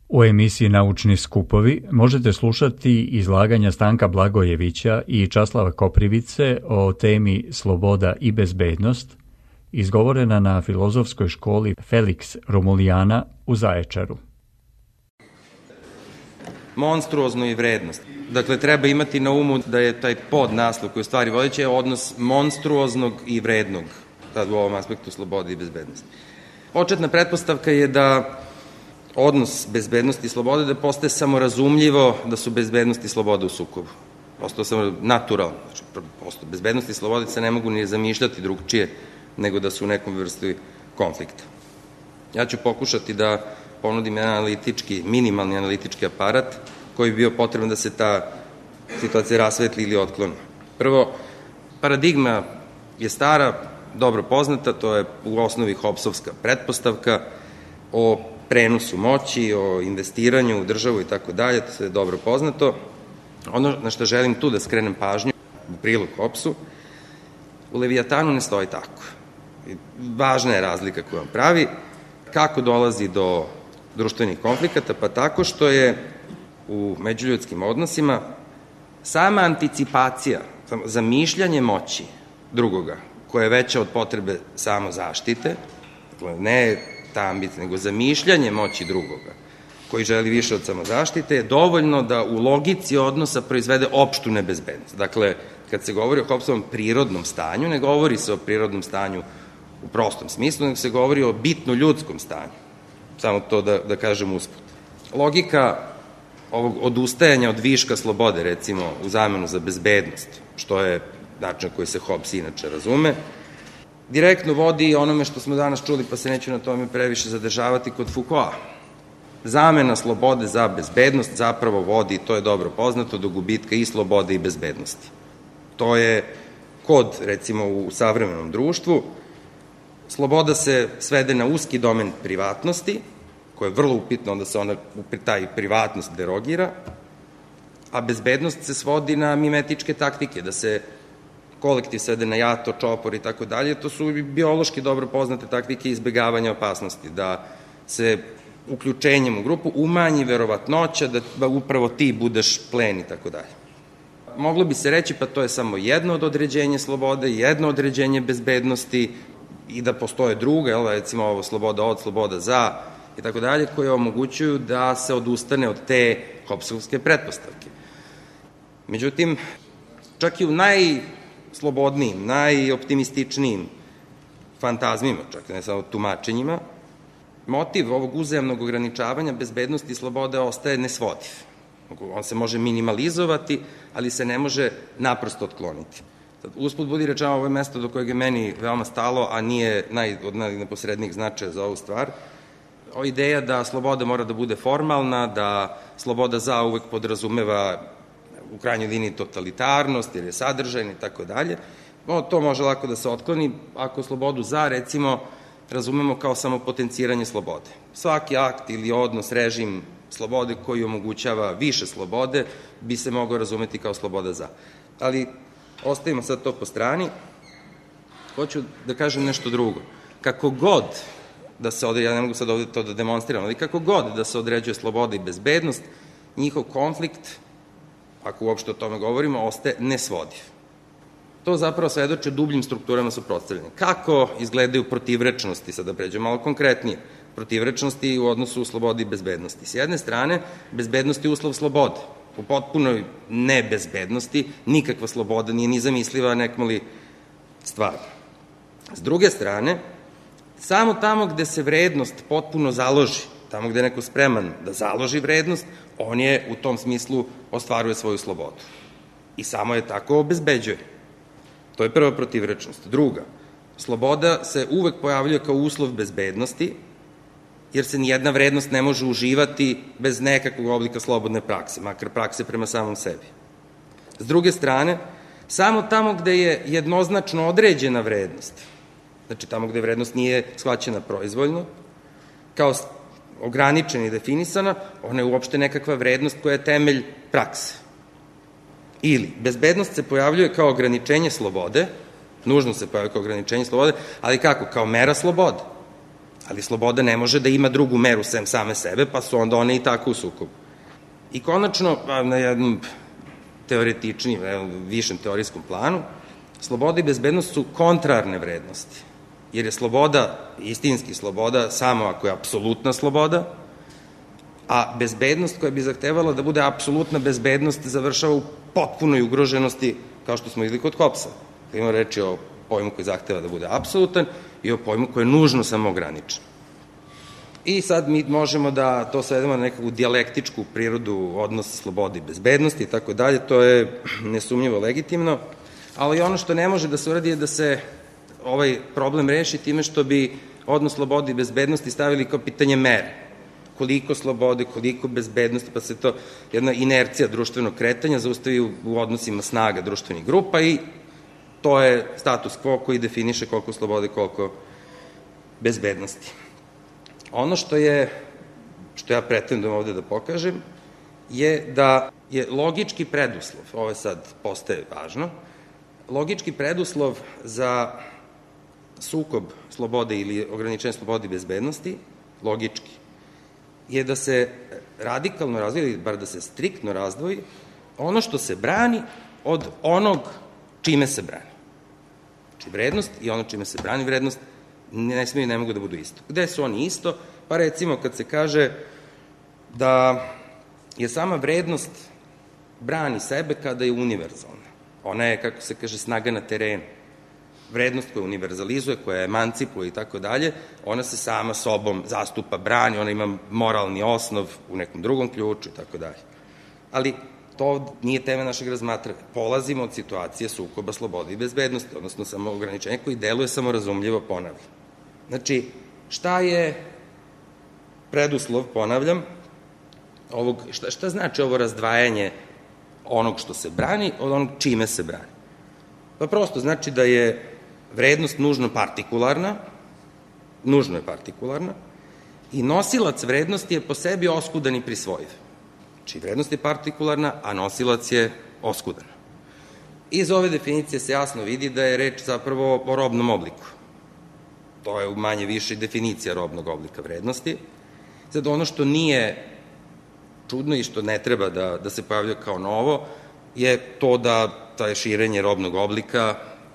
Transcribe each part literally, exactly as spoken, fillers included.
U emisiji Naučni skupovi možete slušati izlaganja Stanka Blagojevića i Časlava Koprivice o temi Sloboda i bezbednost, izgovorena na Filozofskoj školi Felix Romulijana u Zaječaru. Monstruozno i vrednost. Dakle, treba imati na umu da je taj podnaslov koji u stvari vodeći je odnos monstruoznog i vrednog, tad u ovom aspektu slobode i bezbednosti. Početna pretpostavka je da odnos bezbednosti i slobode da postaje samorazumljivo da su bezbednost i sloboda u sukobu. Prosto samo naturalno. Znači, prosto bezbednost i slobode se ne mogu ni zamišljati drugčije nego da su u nekom vrsti konflikta. Ja ću pokušati da ponudim jedan analitički, minimalni analitički aparat koji bi bio potreban da se ta situacija rasvetli ili otkloni. Prvo, paradigma je stara, dobro poznata, to je u osnovi Hobbesovska pretpostavka o prenosu moći, o investiranju u državu i tako dalje, to je dobro poznato. Ono na što želim tu da skrenem pažnju u prilog Hobbesu, u Leviatanu ne stoji tako. Važna je razlika koju vam pravi, kako dolazi do društvenih konflikata, pa tako što je u međuljudskim odnosima sama anticipacija, zamišljanje moći drugoga, koja je veća od potrebe samozaštite, dakle ne ta ambicija, nego zamišljanje moći drugoga, koji želi više od samozaštite, je dovoljno da u logici odnosa proizvede opštu nebezbednost. Dakle, kad se govori o Hobbesovom prirodnom stanju, ne govori se o prirodnom stanju u prostom smislu, nego se govori o bitno ljudskom stanju. Samo to da, da kažem usput. Logika ovog odustajanja od viška slobode, recimo, u zamenu za bezbednost, što je način koji se Hobbes inače razume, direktno vodi onome što smo danas čuli, pa se neću na tome previše zadržavati, kod Foucaulta. Zamena slobode za bezbednost zapravo vodi, to je dobro poznato, do gubitka i slobode i bezbednosti. To je kod, recimo, u savremenom društvu, sloboda se svede na uski domen privatnosti, koja je vrlo upitno, onda se ona, taj privatnost derogira, a bezbednost se svodi na mimetičke taktike, da se kolektiv svede na jato, čopor i tako dalje. To su biološki dobro poznate taktike izbegavanja opasnosti, da se uključenjem u grupu umanji verovatnoća da upravo ti budeš plen i tako dalje. Moglo bi se reći, pa to je samo jedno od određenja slobode, jedno određenje bezbednosti i da postoje druga, jel, recimo ovo sloboda od, sloboda za i tako dalje, koje omogućuju da se odustane od te Hobbesovske pretpostavke. Međutim, čak i u najslobodnijim, najoptimističnijim fantazmima, čak ne samo tumačenjima, motiv ovog uzajamnog ograničavanja bezbednosti i slobode ostaje nesvodiv. On se može minimalizovati, ali se ne može naprosto otkloniti. Usput budi rečeno, ovo je mesto do kojeg je meni veoma stalo, a nije naj, od najneposrednijih značaja za ovu stvar. O ideja da sloboda mora da bude formalna, da sloboda za uvek podrazumeva u krajnjoj liniji totalitarnost, jer je sadržajna i tako dalje. To može lako da se otkloni ako slobodu za, recimo, razumemo kao samo potenciranje slobode. Svaki akt ili odnos, režim slobode koji omogućava više slobode bi se mogao razumeti kao sloboda za. Ali ostavimo sad to po strani. Hoću da kažem nešto drugo. Kako god da se određuje, ja ne mogu sad ovde to da demonstriram, ali kako god da se određuje sloboda i bezbednost, njihov konflikt, ako uopšte o tome govorimo, ostaje nesvodiv. To zapravo svedoče dubljim strukturama suprotstavljanja. Kako izgledaju protivrečnosti, sad da pređemo malo konkretnije, protivrečnosti u odnosu slobodi i bezbednosti. S jedne strane, bezbednost je uslov slobode. U potpunoj nebezbednosti nikakva sloboda nije ni zamisliva, nekmali stvar. S druge strane, samo tamo gde se vrednost potpuno založi, tamo gde je neko spreman da založi vrednost, on je u tom smislu ostvaruje svoju slobodu. I samo je tako obezbeđuje. To je prva protivrečnost. Druga, sloboda se uvek pojavljuje kao uslov bezbednosti, jer se nijedna vrednost ne može uživati bez nekakvog oblika slobodne prakse, makar prakse prema samom sebi. S druge strane, samo tamo gde je jednoznačno određena vrednost, znači tamo gde vrednost nije shvaćena proizvoljno, kao ograničena i definisana, ona je uopšte nekakva vrednost koja je temelj prakse. Ili, bezbednost se pojavljuje kao ograničenje slobode, nužno se pojavljuje kao ograničenje slobode, ali kako? Kao mera slobode. Ali sloboda ne može da ima drugu meru sem same sebe, pa su onda one i tako u sukobu. I konačno, na jednom teoretičnijem, višem teorijskom planu, sloboda i bezbednost su kontrarne vrednosti. Jer je sloboda, istinski sloboda, samo ako je apsolutna sloboda, a bezbednost koja bi zahtevala da bude apsolutna bezbednost završava u potpunoj ugroženosti, kao što smo videli kod Hobbesa. Ima reči o pojmu koji zahteva da bude apsolutan i o pojmu koji je nužno samo ograničen. I sad mi možemo da to svedemo na nekakvu dijalektičku prirodu odnosa slobode i bezbednosti i tako dalje, to je nesumnjivo legitimno, ali ono što ne može da se uradi je da se ovaj problem reši time što bi odnos slobode i bezbednosti stavili kao pitanje mere. Koliko slobode, koliko bezbednosti, pa se to jedna inercija društvenog kretanja zaustavi u odnosima snaga društvenih grupa i to je status quo koji definiše koliko slobode, koliko bezbednosti. Ono što je, što ja pretendujem ovde da pokažem, je da je logički preduslov, ovo sad postaje važno, logički preduslov za sukob slobode ili ograničenje slobode i bezbednosti, logički, je da se radikalno razdvoji, ili bar da se striktno razdvoji, ono što se brani od onog čime se brani. Znači, vrednost i ono čime se brani vrednost ne smiju i ne mogu da budu isto. Gde su oni isto? Pa recimo kad se kaže da je sama vrednost brani sebe kada je univerzalna. Ona je, kako se kaže, snaga na terenu. Vrednost koja univerzalizuje, koja emancipuje i tako dalje, ona se sama sobom zastupa, brani, ona ima moralni osnov u nekom drugom ključu i tako dalje. Ali to nije tema našeg razmatranja. Polazimo od situacije sukoba slobode i bezbednosti, odnosno samo ograničenja koji deluje samorazumljivo, ponavljam. Znači, šta je preduslov, ponavljam, ovog, šta, šta znači ovo razdvajanje onog što se brani od onog čime se brani? Pa prosto znači da je vrednost nužno partikularna, nužno je partikularna, i nosilac vrednosti je po sebi oskudan i prisvojiv. Znači, vrednost je partikularna, a nosilac je oskudan. Iz ove definicije se jasno vidi da je reč zapravo o robnom obliku. To je u manje više definicija robnog oblika vrednosti. Sad, ono što nije čudno i što ne treba da, da se pojavlja kao novo, je to da taj širenje robnog oblika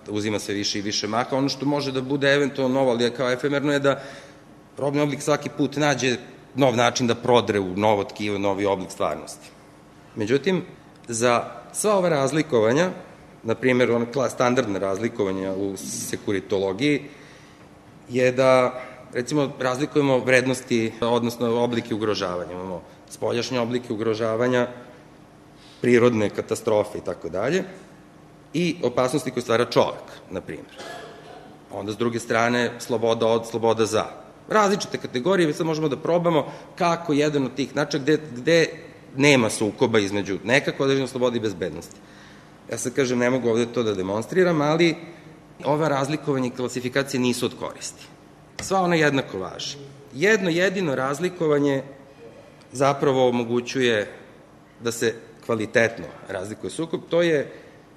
uzima sve više i više maha. Ono što može da bude eventualno novo, ali je kao efemerno, je da robni oblik svaki put nađe nov način da prodre u novo tkivo, novi oblik stvarnosti. Međutim, za sva ova razlikovanja, na primjer, ona standardna razlikovanja u sekuritologiji, je da, recimo, razlikujemo vrednosti, odnosno oblike ugrožavanja. Imamo spoljašnje oblike ugrožavanja, prirodne katastrofe i tako dalje, i opasnosti koje stvara čovek, na primjer. Onda, s druge strane, sloboda od, sloboda za. Različite kategorije, mi sad možemo da probamo kako jedan od tih načina, gde, gde nema sukoba između nekako određene slobode i bezbednosti. Ja sad kažem, ne mogu ovde to da demonstriram, ali ova razlikovanja i klasifikacije nisu od koristi. Sva ona jednako važi. Jedno jedino razlikovanje zapravo omogućuje da se kvalitetno razlikuje sukob, to je,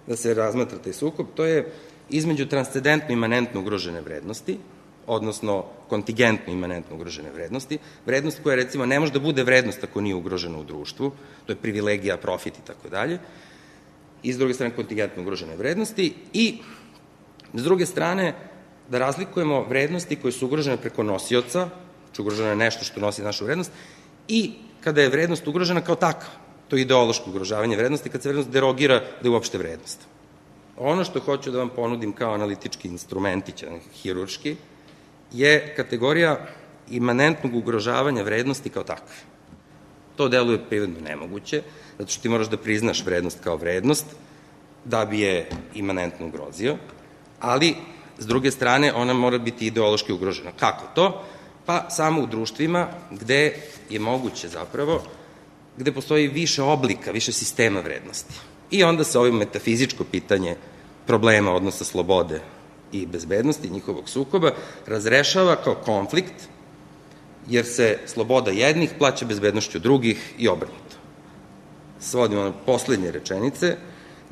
da se razmatra taj sukob, to je između transcendentno imanentno ugrožene vrednosti, odnosno kontingentno imanentno ugrožene vrednosti, vrednost koja, recimo, ne može da bude vrednost ako nije ugrožena u društvu, to je privilegija, profit i tako dalje, i s druge strane kontingentno ugrožene vrednosti, i s druge strane da razlikujemo vrednosti koje su ugrožene preko nosioca, znači ugroženo je nešto što nosi našu vrednost, i kada je vrednost ugrožena kao takva, to je ideološko ugrožavanje vrednosti, kad se vrednost derogira da je uopšte vrednost. Ono što hoću da vam ponudim kao analitički instrumentić, hirurški, je kategorija imanentnog ugrožavanja vrednosti kao takve. To deluje prirodno nemoguće, zato što ti moraš da priznaš vrednost kao vrednost, da bi je imanentno ugrozio, ali, s druge strane, ona mora biti ideološki ugrožena. Kako to? Pa samo u društvima gde je moguće zapravo, gde postoji više oblika, više sistema vrednosti. I onda se ovo metafizičko pitanje problema odnosa slobode i bezbednosti, njihovog sukoba, razrešava kao konflikt, jer se sloboda jednih plaća bezbednošću drugih i obrnuto. Svodimo na poslednje rečenice,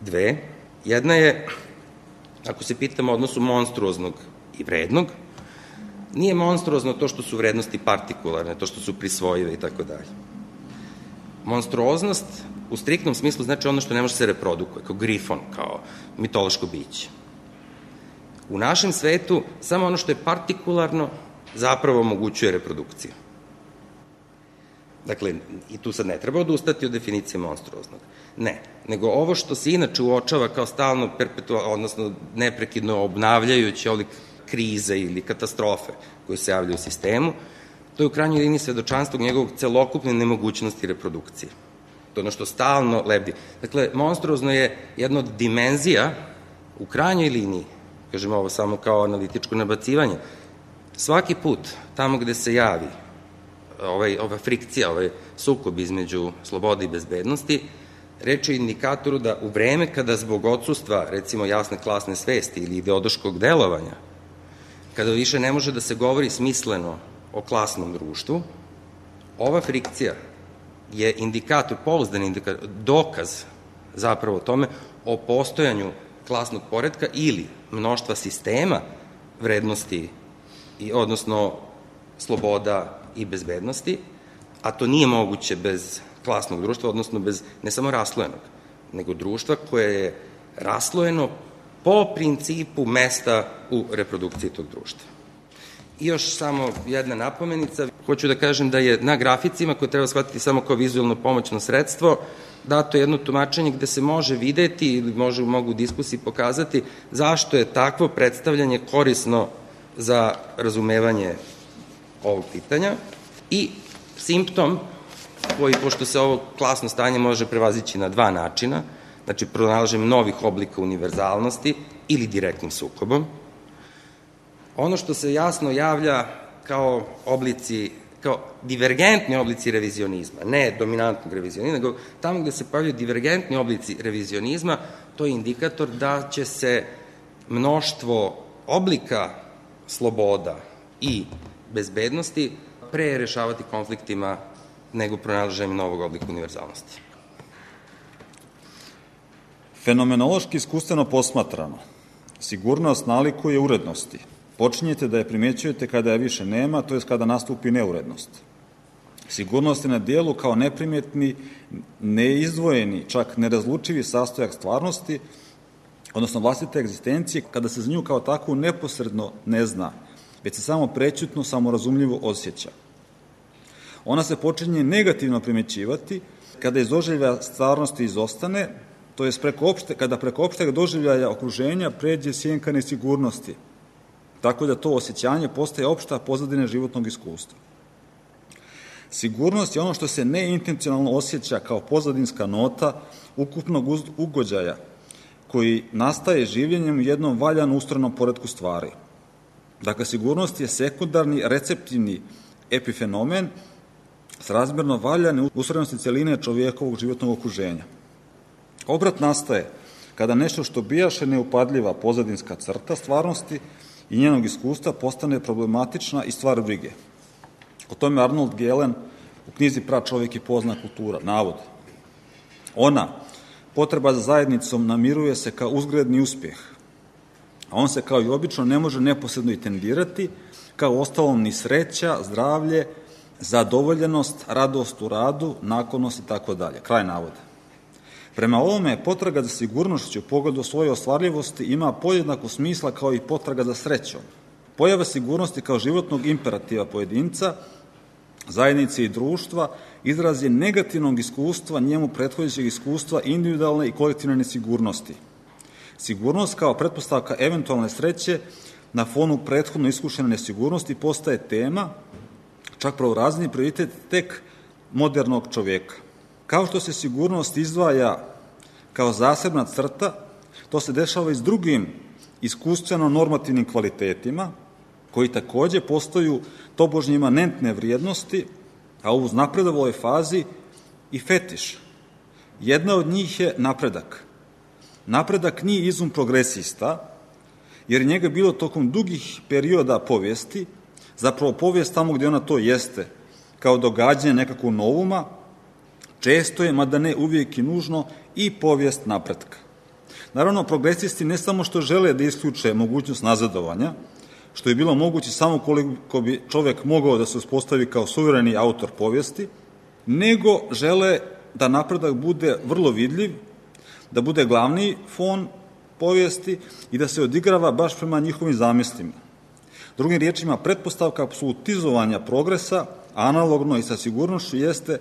dve. Jedna je, ako se pitamo o odnosu monstruoznog i vrednog, Nije monstruozno to što su vrednosti partikularne, to što su prisvojive i tako dalje. Monstruoznost u striktnom smislu znači ono što ne može se reprodukuje, kao grifon, kao mitološko biće. U našem svetu samo ono što je partikularno zapravo omogućuje reprodukciju. Dakle, i tu sad ne treba odustati od definicije monstruoznog. Ne, nego ovo što se inače uočava kao stalno perpetualno, odnosno neprekidno obnavljajući ovih krize ili katastrofe koje se javljaju u sistemu, to je u krajnjoj liniji svedočanstvo njegovog celokupne nemogućnosti reprodukcije. To je ono što stalno lebdi. Dakle, monstruozno je jedna od dimenzija u krajnjoj liniji, kažem ovo samo kao analitičko nabacivanje, svaki put tamo gde se javi ovaj, ova frikcija, ovaj sukob između slobode i bezbednosti, reč je o indikatoru da u vreme kada zbog odsustva, recimo, jasne klasne svesti ili ideološkog delovanja, kada više ne može da se govori smisleno o klasnom društvu, ova frikcija je indikator, pouzdan indikator, dokaz zapravo tome o postojanju klasnog poretka ili mnoštva sistema vrednosti, i, odnosno sloboda i bezbednosti, a to nije moguće bez klasnog društva, odnosno bez ne samo raslojenog, nego društva koje je raslojeno po principu mesta u reprodukciji tog društva. I još samo jedna napomenica, hoću da kažem da je na graficima, koje treba shvatiti samo kao vizualno pomoćno sredstvo, dato jedno tumačenje gde se može videti ili može, mogu u diskusiji pokazati zašto je takvo predstavljanje korisno za razumevanje ovog pitanja i simptom koji, pošto se ovo klasno stanje može prevazići na dva načina, znači pronalaženjem novih oblika univerzalnosti ili direktnim sukobom, ono što se jasno javlja kao oblici, kao divergentni oblici revizionizma, ne dominantnog revizionizma, nego tamo gde se pojavljaju divergentni oblici revizionizma, to je indikator da će se mnoštvo oblika sloboda i bezbednosti pre rešavati konfliktima nego pronalaženjem novog oblika univerzalnosti. Fenomenološki iskustveno posmatrano, sigurnost nalikuje urednosti. Počinjete da je primećujete kada je više nema, to je kada nastupi neurednost. Sigurnost je na dijelu kao neprimetni, neizdvojeni, čak nerazlučivi sastojak stvarnosti, odnosno vlastite egzistencije, kada se za nju kao takvu neposredno ne zna, već se samo prećutno, samorazumljivo osjeća. Ona se počinje negativno primećivati kada iz doživljaja stvarnosti izostane, to je preko opšte, kada preko opšteg doživljaja okruženja pređe sjenka nesigurnosti, tako da to osjećanje postaje opšta pozadina životnog iskustva. Sigurnost je ono što se neintencionalno osjeća kao pozadinska nota ukupnog ugođaja, koji nastaje življenjem u jednom valjano ustrojenom poretku stvari. Dakle, sigurnost je sekundarni, receptivni epifenomen s razmerno valjane ustrojenosti celine čovjekovog životnog okruženja. Obrat nastaje kada nešto što bijaše neupadljiva pozadinska crta stvarnosti i njenog iskustva postane problematična i stvar brige. O tome Arnold Gehlen u knjizi Pračovjek i pozna kultura navodi. Ona, potreba za zajednicom, namiruje se kao uzgredni uspjeh, a on se kao i obično ne može neposredno i tendirati, kao ostalom ni sreća, zdravlje, zadovoljenost, radost u radu, naklonost i tako dalje. Kraj navoda. Prema ovome, potraga za sigurnošću u pogledu svoje ostvarljivosti ima podjednako smisla kao i potraga za srećom. Pojava sigurnosti kao životnog imperativa pojedinca, zajednice i društva izraz je negativnog iskustva njemu prethodećeg iskustva individualne i kolektivne nesigurnosti. Sigurnost kao pretpostavka eventualne sreće na fonu prethodno iskušene nesigurnosti postaje tema, čak pravorazni prioritet tek modernog čovjeka. Kao što se sigurnost izdvaja kao zasebna crta, to se dešava i s drugim iskustveno-normativnim kvalitetima, koji takođe postaju tobožnje imanentne vrijednosti, a u napredovoj fazi i fetiš. Jedna od njih je napredak. Napredak nije izum progresista, jer je njega bilo tokom dugih perioda povijesti, zapravo povijest tamo gde ona to jeste, kao događanje nekakvog novuma, često je, mada ne uvijek i nužno, i povijest napretka. Naravno, progresisti ne samo što žele da isključe mogućnost nazadovanja, što je bilo moguće samo koliko bi čovek mogao da se uspostavi kao suvereni autor povijesti, nego žele da napredak bude vrlo vidljiv, da bude glavni fon povijesti i da se odigrava baš prema njihovim zamislima. Drugim riječima, pretpostavka apsolutizovanja progresa, analogno i sa sigurnošću, jeste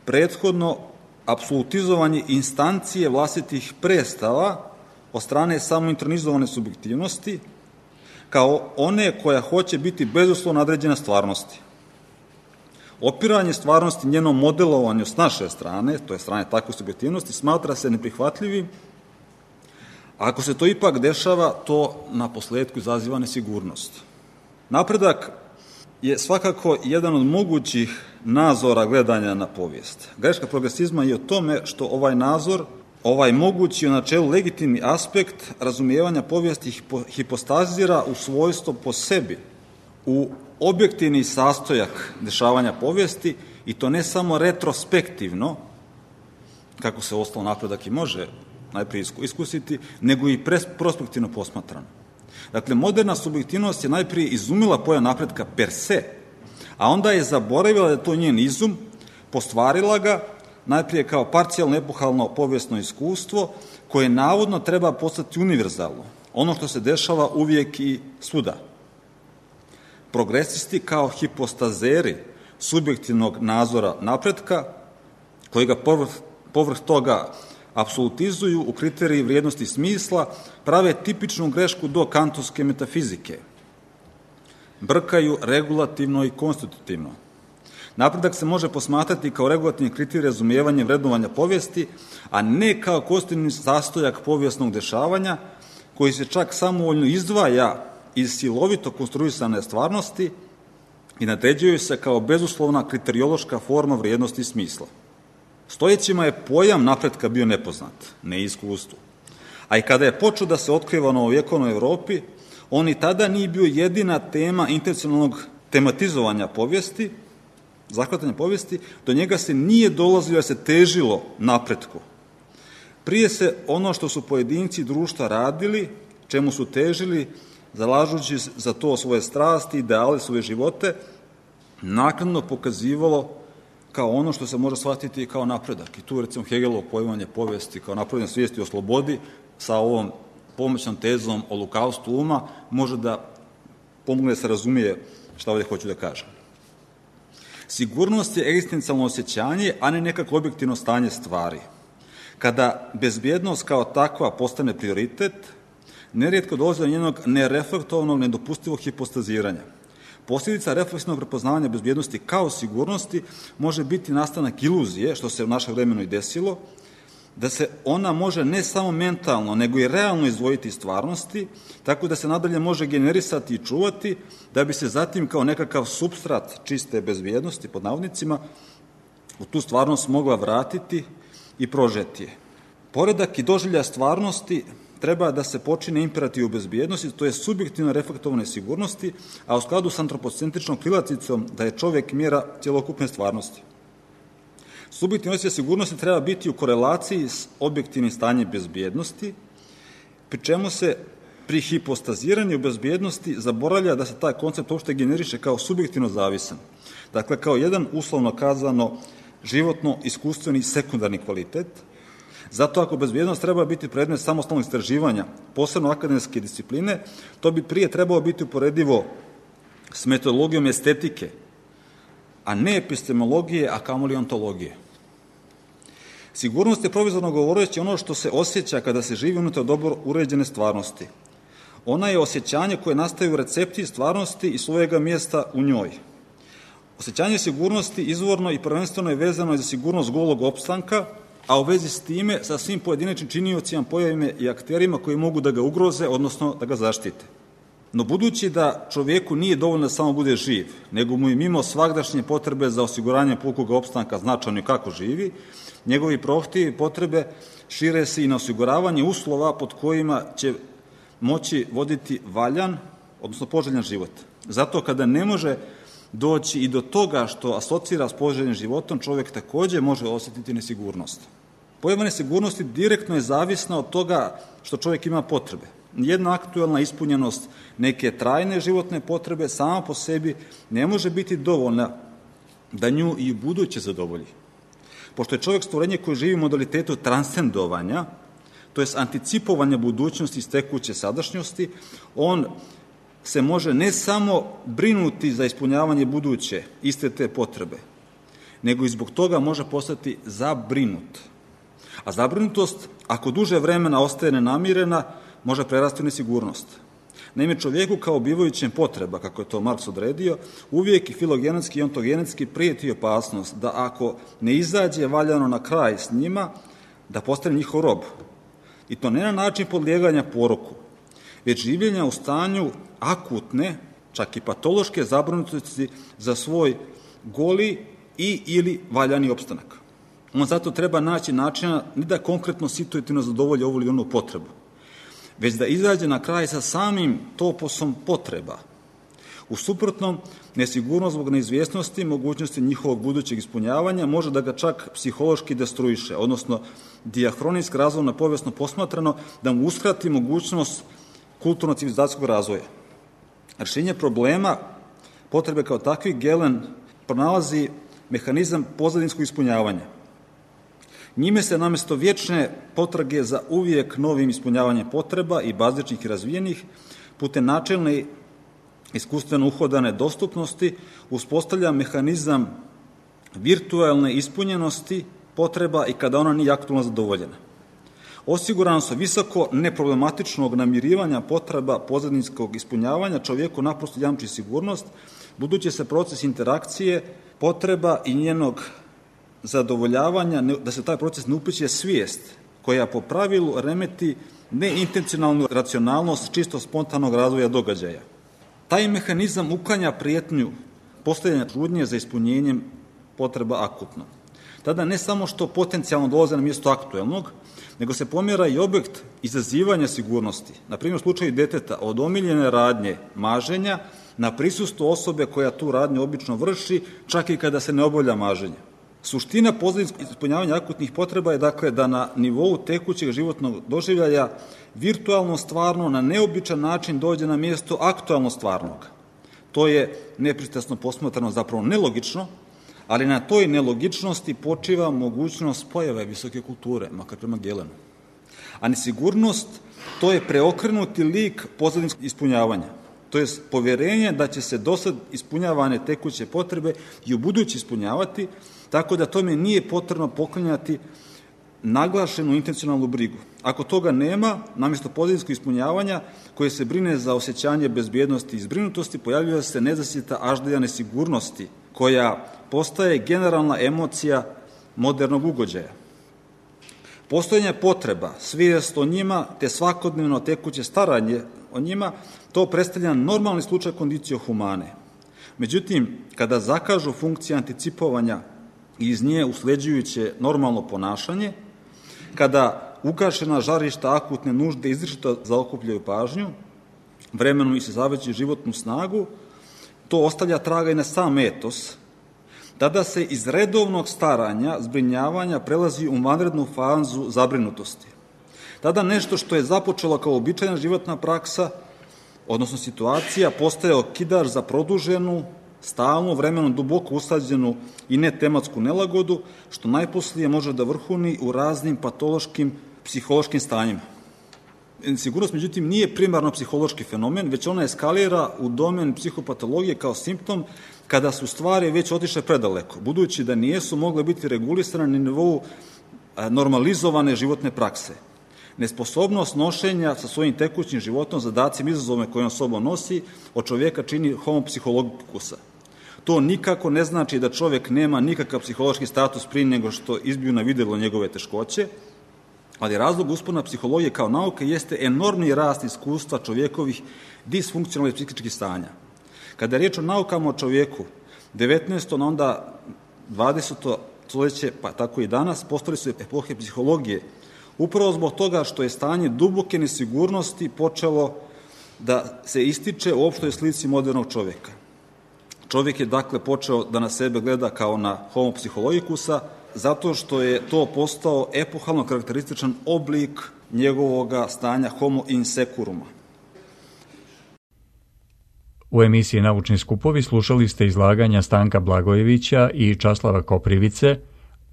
prethodno apsolutizovanje instancije vlastitih predstava od strane samointronizovane subjektivnosti, kao one koja hoće biti bezuslovno nadređena stvarnosti. Opiranje stvarnosti njenom modelovanju s naše strane, to je strane takve subjektivnosti, smatra se neprihvatljivim. Ako se to ipak dešava, to na posledku izaziva nesigurnost. Napredak je svakako jedan od mogućih nazora gledanja na povijest. Greška progresizma je u tome što ovaj nazor, ovaj mogući u načelu legitimni aspekt razumijevanja povijesti hipostazira u svojstvo po sebi, u objektivni sastojak dešavanja povijesti, i to ne samo retrospektivno, kako se ostalo napredak i može najprije iskusiti, nego i prospektivno posmatrano. Dakle, moderna subjektivnost je najprije izumila pojam napretka per se, a onda je zaboravila da je to njen izum, postvarila ga najprije kao parcijalno epohalno povijesno iskustvo koje navodno treba postati univerzalno, ono što se dešava uvijek i svuda. Progresisti kao hipostazeri subjektivnog nazora napretka, koji ga povrh, povrh toga apsolutizuju u kriteriji vrijednosti smisla, prave tipičnu grešku do kantovske metafizike. Brkaju regulativno i konstitutivno. Napredak se može posmatrati kao regulativni kriterij razumijevanja i vrednovanja povijesti, a ne kao konstitutivni sastojak povijesnog dešavanja, koji se čak samovoljno izdvaja iz silovito konstruisane stvarnosti i nadređuju se kao bezuslovna kriteriološka forma vrijednosti i smisla. Stojećima je pojam napretka bio nepoznat, ne iskustvo. A i kada je počeo da se otkriva u novovjekovnoj Evropi, on i tada nije bio jedina tema intencionalnog tematizovanja povijesti, zahvatanja povijesti, do njega se nije dolazilo da se težilo napretku. Prije se ono što su pojedinci društva radili, čemu su težili, zalažući za to svoje strasti, ideale, svoje živote, naknadno pokazivalo kao ono što se može shvatiti kao napredak. I tu, recimo, Hegelovo poimanje povijesti kao napredne svijesti o slobodi sa ovom pomoćnom tezom o lukavstvu uma može da pomogne da se razumije šta ovdje hoću da kažem. Sigurnost je egzistencijalno osjećanje, a ne nekako objektivno stanje stvari. Kada bezbjednost kao takva postane prioritet, nerijetko dolazi do njenog nereflektovnog, nedopustivog hipostaziranja. Posljedica refleksivnog prepoznavanja bezbjednosti kao sigurnosti može biti nastanak iluzije, što se u našem vremenu i desilo, da se ona može ne samo mentalno, nego i realno izdvojiti iz stvarnosti, tako da se nadalje može generisati i čuvati, da bi se zatim kao nekakav supstrat čiste bezbjednosti, pod navodnicima, u tu stvarnost mogla vratiti i prožeti je. Poredak i doživlja stvarnosti treba da se počine imperativ u bezbjednosti, to je subjektivno reflektovane sigurnosti, a u skladu s antropocentričnom krilacicom da je čovjek mjera cjelokupne stvarnosti. Subjektivno osjećaj sigurnosti treba biti u korelaciji s objektivnim stanjem bezbjednosti, pri čemu se pri hipostaziranju bezbjednosti zaboravlja da se taj koncept uopšte generiše kao subjektivno zavisan. Dakle, kao jedan uslovno kazano životno iskustveni sekundarni kvalitet. Zato ako bezbjednost treba biti predmet samostalnog istraživanja, posebno akademske discipline, to bi prije trebalo biti uporedivo s metodologijom estetike, a ne epistemologije, a kamoli ontologije. Sigurnost je provizorno govoreći ono što se osjeća kada se živi unutar dobro uređene stvarnosti. Ona je osjećanje koje nastaje u recepciji stvarnosti i svojega mjesta u njoj. Osjećanje sigurnosti izvorno i prvenstveno je vezano za sigurnost golog opstanka, a u vezi s time sa svim pojedinačnim činiocima, pojavima i akterima koji mogu da ga ugroze, odnosno da ga zaštite. No budući da čovjeku nije dovoljno da samo bude živ, nego mu je mimo svagdašnje potrebe za osiguranje pukog opstanka značajno kako živi, njegovi prohtjevi i potrebe šire se i na osiguravanje uslova pod kojima će moći voditi valjan, odnosno poželjan život. Zato kada ne može doći i do toga što asocira s poželjnim životom, čovjek također može osjetiti nesigurnost. Pojava nesigurnosti direktno je zavisna od toga što čovjek ima potrebe. Jedna aktualna ispunjenost neke trajne životne potrebe sama po sebi ne može biti dovoljna da nju i u buduće zadovolji. Pošto je čovjek stvorenje koje živi u modalitetu transcendovanja, to je anticipovanja budućnosti iz tekuće sadašnjosti, on se može ne samo brinuti za ispunjavanje buduće iste te potrebe, nego i zbog toga može postati zabrinut. A zabrinutost, ako duže vremena ostaje nenamirena, može prerasti u nesigurnost. Naime, čovjeku kao bivajućem potreba, kako je to Marks odredio, uvijek i filogenetski i ontogenetski prijeti opasnost da ako ne izađe valjano na kraj s njima, da postane njihov rob. I to ne na način podlijeganja poroku, već življenja u stanju akutne, čak i patološke zabrinutosti za svoj goli i ili valjani opstanak. On zato treba naći načina ne da konkretno situativno zadovolji ovu ili onu potrebu, već da izađe na kraj sa samim toposom potreba. U suprotnom, nesigurnost zbog neizvjesnosti, mogućnosti njihovog budućeg ispunjavanja može da ga čak psihološki destruiše, odnosno dijahronijski razvojno povijesno posmatrano da mu uskrati mogućnost kulturno-civilizacijskog razvoja. Rješenje problema potrebe kao takvi Galen pronalazi mehanizam pozadinskog ispunjavanja. Njime se namjesto vječne potrage za uvijek novim ispunjavanjem potreba i bazičnih i razvijenih, putem načelne iskustveno uhodane dostupnosti, uspostavlja mehanizam virtualne ispunjenosti potreba i kada ona nije aktualno zadovoljena. Osigurano su visoko neproblematičnog namirivanja potreba pozadinskog ispunjavanja čovjeku naprosto jamči sigurnost, budući se proces interakcije potreba i njenog zadovoljavanja, da se taj proces ne upliće svijest, koja po pravilu remeti neintencionalnu racionalnost čisto spontanog razvoja događaja. Taj mehanizam uklanja prijetnju postojanja trudnje za ispunjenjem potreba akutno. Tada ne samo što potencijalno dolaze na mjesto aktuelnog, nego se pomjera i objekt izazivanja sigurnosti. Na primjer, u slučaju deteta od omiljene radnje maženja na prisustvo osobe koja tu radnju obično vrši, čak i kada se ne obavlja maženje. Suština pozadinskog ispunjavanja akutnih potreba je dakle da na nivou tekućeg životnog doživljaja virtualno stvarno na neobičan način dođe na mjesto aktualno stvarnog. To je nepristrasno posmatrano zapravo nelogično, ali na toj nelogičnosti počiva mogućnost pojave visoke kulture, makar prema Gelenu. A nesigurnost, to je preokrenuti lik pozadinskog ispunjavanja. To je povjerenje da će se dosad ispunjavane tekuće potrebe i u budući ispunjavati, tako da tome nije potrebno poklanjati naglašenu intencionalnu brigu. Ako toga nema, namjesto pozadinskog ispunjavanja koje se brine za osjećanje bezbjednosti i zbrinutosti, pojavljuje se nezasjeta aždelja nesigurnosti, koja postaje generalna emocija modernog ugođaja. Postojanje potreba, svijest o njima, te svakodnevno tekuće staranje o njima, to predstavlja normalni slučaj kondicio humane. Međutim, kada zakažu funkcije anticipovanja i iz nje usleđujuće normalno ponašanje, kada ugašena žarišta akutne nužde izričito zaokupljaju pažnju, vremenom i se zaveći životnu snagu, to ostavlja traga i na sam etos, tada se iz redovnog staranja, zbrinjavanja prelazi u vanrednu fazu zabrinutosti. Tada nešto što je započelo kao običajna životna praksa, odnosno situacija, postaje okidač za produženu, stalnu, vremenom duboko usađenu i netematsku nelagodu, što najposlije može da vrhuni u raznim patološkim psihološkim stanjima. Sigurnost, međutim, nije primarno psihološki fenomen, već ona eskalira u domen psihopatologije kao simptom kada su stvari već otišle predaleko, budući da nijesu mogle biti regulisane na nivou normalizovane životne prakse. Nesposobnost nošenja sa svojim tekućim životom, zadacima, izazovima koje on sobom nosi, od čovjeka čini homo psihologikusa. To nikako ne znači da čovjek nema nikakav psihološki status prije nego što izbiju na vidjelo njegove teškoće, ali razlog uspona psihologije kao nauke jeste enormni rast iskustva čovjekovih disfunkcionalnih psihičkih stanja. Kada je riječ o naukama o čovjeku, devetnaesto na onda dvadeseto stoljeće, pa tako i danas, postali su epohe psihologije, upravo zbog toga što je stanje duboke nesigurnosti počelo da se ističe u opštoj slici modernog čovjeka. Čovjek je dakle počeo da na sebe gleda kao na homo psihologikusa, zato što je to postao epohalno karakterističan oblik njegovoga stanja homo insecuruma. U emisiji Naučni skupovi slušali ste izlaganja Stanka Blagojevića i Časlava Koprivice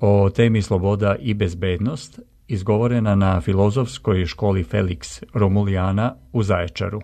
o temi sloboda i bezbednost, izgovorena na Filozofskoj školi Felix Romulijana u Zaječaru.